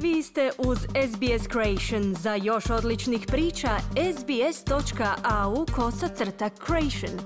Vi ste uz SBS Creation. Za još odličnih priča, sbs.au/creation.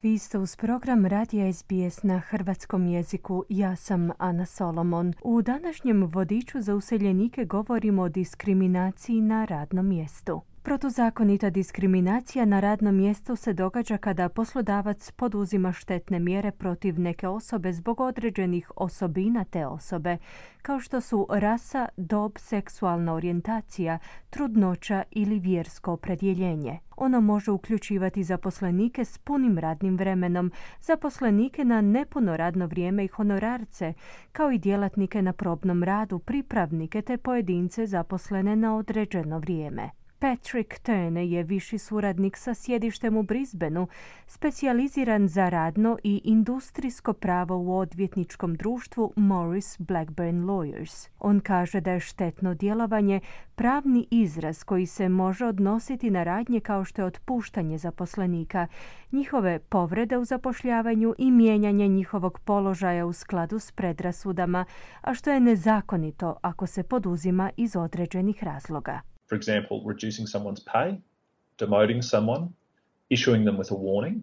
Vi ste uz program Radija SBS na hrvatskom jeziku. Ja sam Ana Solomon. U današnjem vodiču za useljenike govorimo o diskriminaciji na radnom mjestu. Protuzakonita diskriminacija na radnom mjestu se događa kada poslodavac poduzima štetne mjere protiv neke osobe zbog određenih osobina te osobe, kao što su rasa, dob, seksualna orijentacija, trudnoća ili vjersko opredjeljenje. Ono može uključivati zaposlenike s punim radnim vremenom, zaposlenike na nepuno radno vrijeme i honorarce, kao i djelatnike na probnom radu, pripravnike te pojedince zaposlene na određeno vrijeme. Patrick Turner je viši suradnik sa sjedištem u Brisbaneu, specijaliziran za radno i industrijsko pravo u odvjetničkom društvu Morris Blackburn Lawyers. On kaže da je štetno djelovanje pravni izraz koji se može odnositi na radnje kao što je otpuštanje zaposlenika, njihove povrede u zapošljavanju i mijenjanje njihovog položaja u skladu s predrasudama, a što je nezakonito ako se poduzima iz određenih razloga. For example, reducing someone's pay, demoting someone, issuing them with a warning.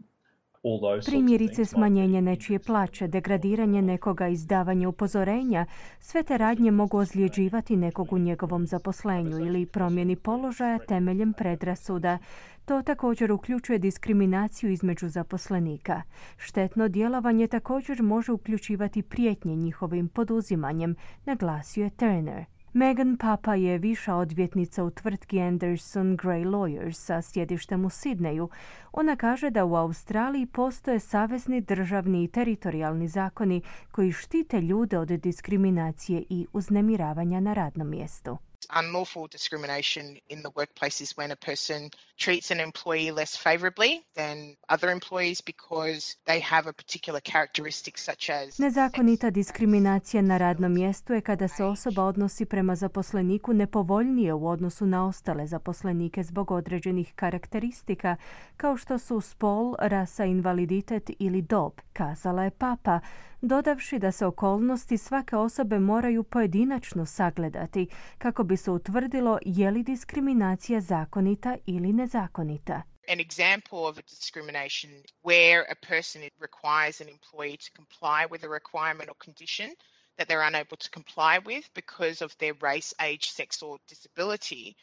Primjerice smanjenje nečije plaće, degradiranje nekoga, izdavanje upozorenja, sve te radnje mogu ozljeđivati nekog u njegovom zaposlenju ili promjeni položaja temeljem predrasuda. To također uključuje diskriminaciju između zaposlenika. Štetno djelovanje također može uključivati prijetnje njihovim poduzimanjem, naglasio je Turner. Megan Papa je viša odvjetnica u tvrtki Anderson Gray Lawyers sa sjedištem u Sidneju. Ona kaže da u Australiji postoje savezni, državni i teritorijalni zakoni koji štite ljude od diskriminacije i uznemiravanja na radnom mjestu. Unlawful discrimination in the workplace is when a person treats an employee less favorably than other employees because they have a particular characteristic such as... Nezakonita diskriminacija na radnom mjestu je kada se osoba odnosi prema zaposleniku nepovoljnije u odnosu na ostale zaposlenike zbog određenih karakteristika, kao što su spol, rasa, invaliditet ili dob, kazala je Papa, dodavši da se okolnosti svake osobe moraju pojedinačno sagledati kako bi se utvrdilo je li diskriminacija zakonita ili nezakonita. An example of a discrimination where a person requires an employee to comply with a requirement or condition that they're unable to comply with because of their race, age, sex or disability.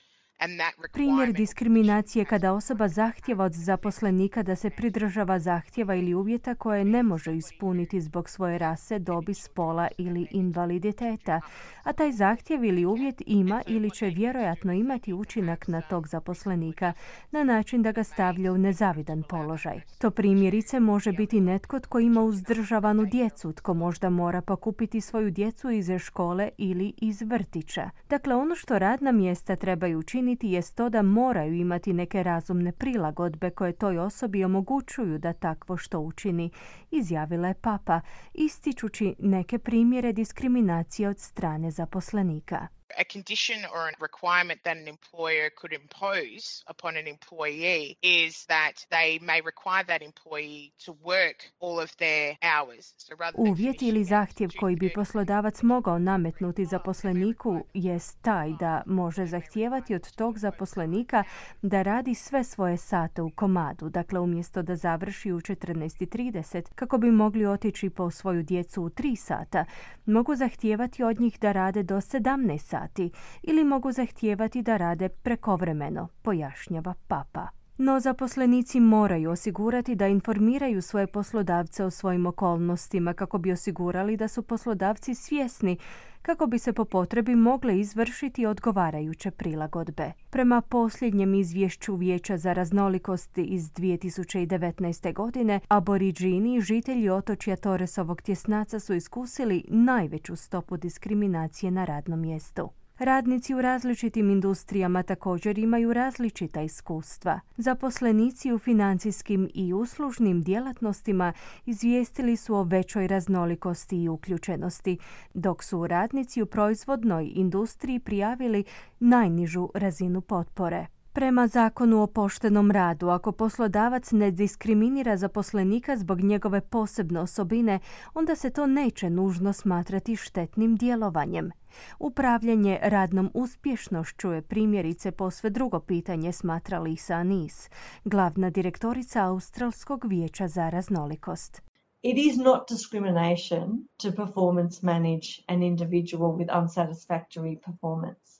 Primjer diskriminacije kada osoba zahtjeva od zaposlenika da se pridržava zahtjeva ili uvjeta koje ne može ispuniti zbog svoje rase, dobi, spola ili invaliditeta, a taj zahtjev ili uvjet ima ili će vjerojatno imati učinak na tog zaposlenika na način da ga stavlja u nezavidan položaj. To primjerice može biti netko tko ima uzdržavanu djecu, tko možda mora pokupiti svoju djecu iz škole ili iz vrtića. Dakle, ono što radna mjesta trebaju učiniti jest to da moraju imati neke razumne prilagodbe koje toj osobi omogućuju da takvo što učini, izjavila je Papa, ističući neke primjere diskriminacije od strane zaposlenika. A condition or a requirement that an employer could impose upon an employee is that they may require that employee to work all of their hours. Uvjet ili zahtjev koji bi poslodavac mogao nametnuti zaposleniku jest taj da može zahtijevati od tog zaposlenika da radi sve svoje sate u komadu, dakle umjesto da završi u 14:30 kako bi mogli otići po svoju djecu u 3 sata, mogu zahtijevati od njih da rade do 17 sati ili mogu zahtijevati da rade prekovremeno, pojašnjava Papa. No zaposlenici moraju osigurati da informiraju svoje poslodavce o svojim okolnostima kako bi osigurali da su poslodavci svjesni kako bi se po potrebi mogle izvršiti odgovarajuće prilagodbe. Prema posljednjem izvješću Vijeća za raznolikost iz 2019. godine, Aboriđini, žitelji otočja Torresovog tjesnaca, su iskusili najveću stopu diskriminacije na radnom mjestu. Radnici u različitim industrijama također imaju različita iskustva. Zaposlenici u financijskim i uslužnim djelatnostima izvijestili su o većoj raznolikosti i uključenosti, dok su radnici u proizvodnoj industriji prijavili najnižu razinu potpore. Prema zakonu o poštenom radu, ako poslodavac ne diskriminira zaposlenika zbog njegove posebne osobine, onda se to neće nužno smatrati štetnim djelovanjem. Upravljanje radnom uspješnošću je primjerice posve drugo pitanje, smatra Lisa Anis, glavna direktorica Australskog vijeća za raznolikost. It is not discrimination to performance manage an individual with unsatisfactory performance.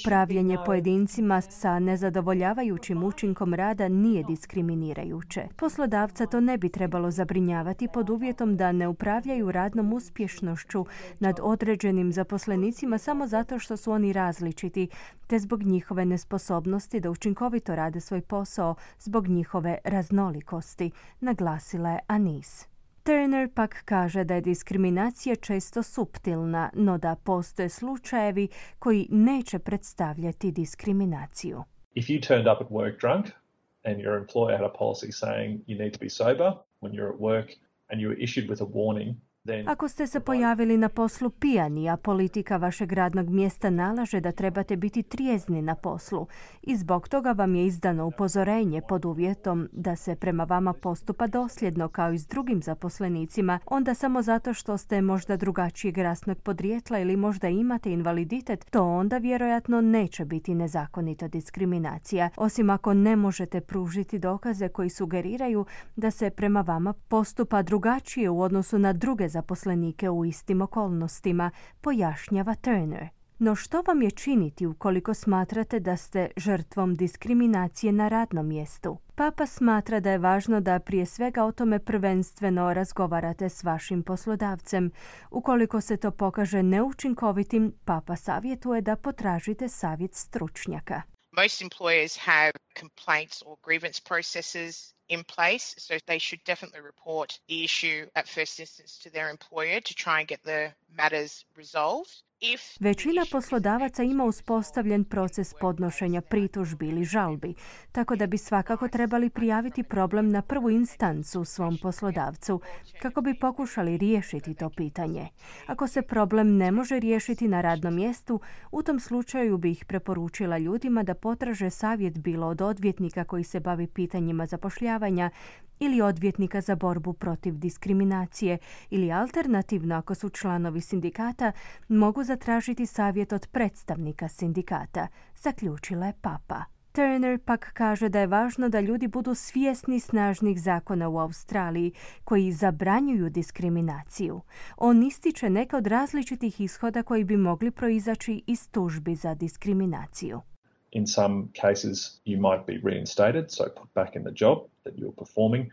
Upravljanje pojedincima sa nezadovoljavajućim učinkom rada nije diskriminirajuće. Poslodavca to ne bi trebalo zabrinjavati pod uvjetom da ne upravljaju radnom uspješnošću nad određenim zaposlenicima samo zato što su oni različiti, te zbog njihove nesposobnosti da učinkovito rade svoj posao zbog njihove raznolikosti, naglasila je Anis. Turner pak kaže da je diskriminacija često suptilna, no da postoje slučajevi koji neće predstavljati diskriminaciju. If you turned up at work drunk and your employer had a policy saying you need to be sober when you're at work and you were issued with a warning, ako ste se pojavili na poslu pijani, a politika vašeg radnog mjesta nalaže da trebate biti trijezni na poslu i zbog toga vam je izdano upozorenje pod uvjetom da se prema vama postupa dosljedno kao i s drugim zaposlenicima, onda samo zato što ste možda drugačijeg rasnog podrijetla ili možda imate invaliditet, to onda vjerojatno neće biti nezakonita diskriminacija, osim ako ne možete pružiti dokaze koji sugeriraju da se prema vama postupa drugačije u odnosu na druge zaposlenike u istim okolnostima, pojašnjava Turner. No što vam je činiti ukoliko smatrate da ste žrtvom diskriminacije na radnom mjestu? Papa smatra da je važno da prije svega o tome prvenstveno razgovarate s vašim poslodavcem. Ukoliko se to pokaže neučinkovitim, Papa savjetuje da potražite savjet stručnjaka. Most employers have complaints or grievance processes in place, so they should definitely report the issue at first instance to their employer to try and get the matters resolved. Većina poslodavaca ima uspostavljen proces podnošenja pritužbi ili žalbi, tako da bi svakako trebali prijaviti problem na prvu instancu svom poslodavcu, kako bi pokušali riješiti to pitanje. Ako se problem ne može riješiti na radnom mjestu, u tom slučaju bi ih preporučila ljudima da potraže savjet bilo od odvjetnika koji se bavi pitanjima zapošljavanja ili odvjetnika za borbu protiv diskriminacije ili alternativno ako su članovi sindikata mogu zatražiti savjet od predstavnika sindikata, zaključila je Papa. Turner pak kaže da je važno da ljudi budu svjesni snažnih zakona u Australiji koji zabranjuju diskriminaciju. On ističe neke od različitih ishoda koji bi mogli proizaći iz tužbi za diskriminaciju. In some cases, you might be reinstated, so put back in the job that you're performing.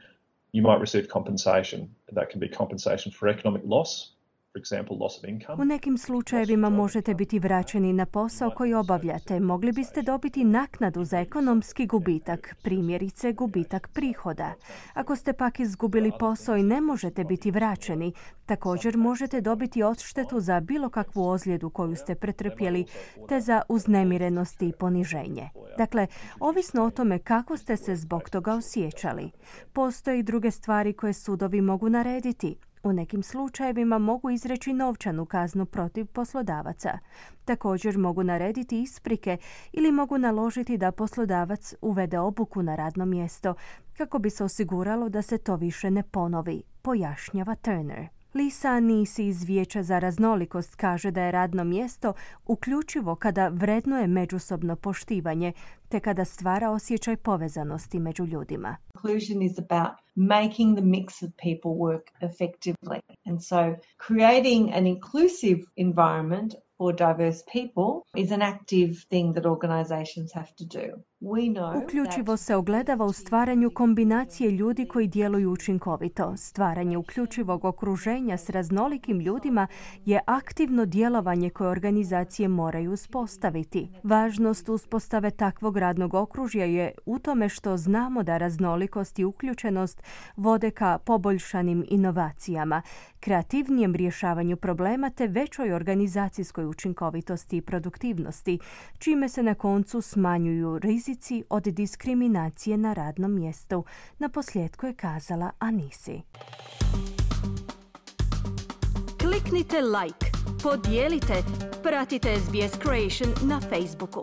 You might receive compensation. That can be compensation for economic loss, for example, loss of income. U nekim slučajevima možete biti vraćeni na posao koji obavljate. Mogli biste dobiti naknadu za ekonomski gubitak, primjerice gubitak prihoda. Ako ste pak izgubili posao i ne možete biti vraćeni, također možete dobiti odštetu za bilo kakvu ozljedu koju ste pretrpjeli, te za uznemirenost i poniženje. Dakle, ovisno o tome kako ste se zbog toga osjećali. Postoje i druge stvari koje sudovi mogu narediti. U nekim slučajevima mogu izreći novčanu kaznu protiv poslodavaca. Također mogu narediti isprike ili mogu naložiti da poslodavac uvede obuku na radno mjesto kako bi se osiguralo da se to više ne ponovi, pojašnjava Turner. Lisa Anis iz Vijeća za raznolikost kaže da je radno mjesto uključivo kada vrednuje međusobno poštivanje te kada stvara osjećaj povezanosti među ljudima. Inclusion is about making the mix of people work effectively. And so creating an inclusive environment for diverse people is an active thing that organizations have to do. Uključivo se ogledava u stvaranju kombinacije ljudi koji djeluju učinkovito. Stvaranje uključivog okruženja s raznolikim ljudima je aktivno djelovanje koje organizacije moraju uspostaviti. Važnost uspostave takvog radnog okružja je u tome što znamo da raznolikost i uključenost vode ka poboljšanim inovacijama, kreativnijem rješavanju problema te većoj organizacijskoj učinkovitosti i produktivnosti, čime se na koncu smanjuju rizici od diskriminacije na radnom mjestu. Naposljetku je kazala Anisi. Kliknite like, podijelite, pratite SBS Creation na Facebooku.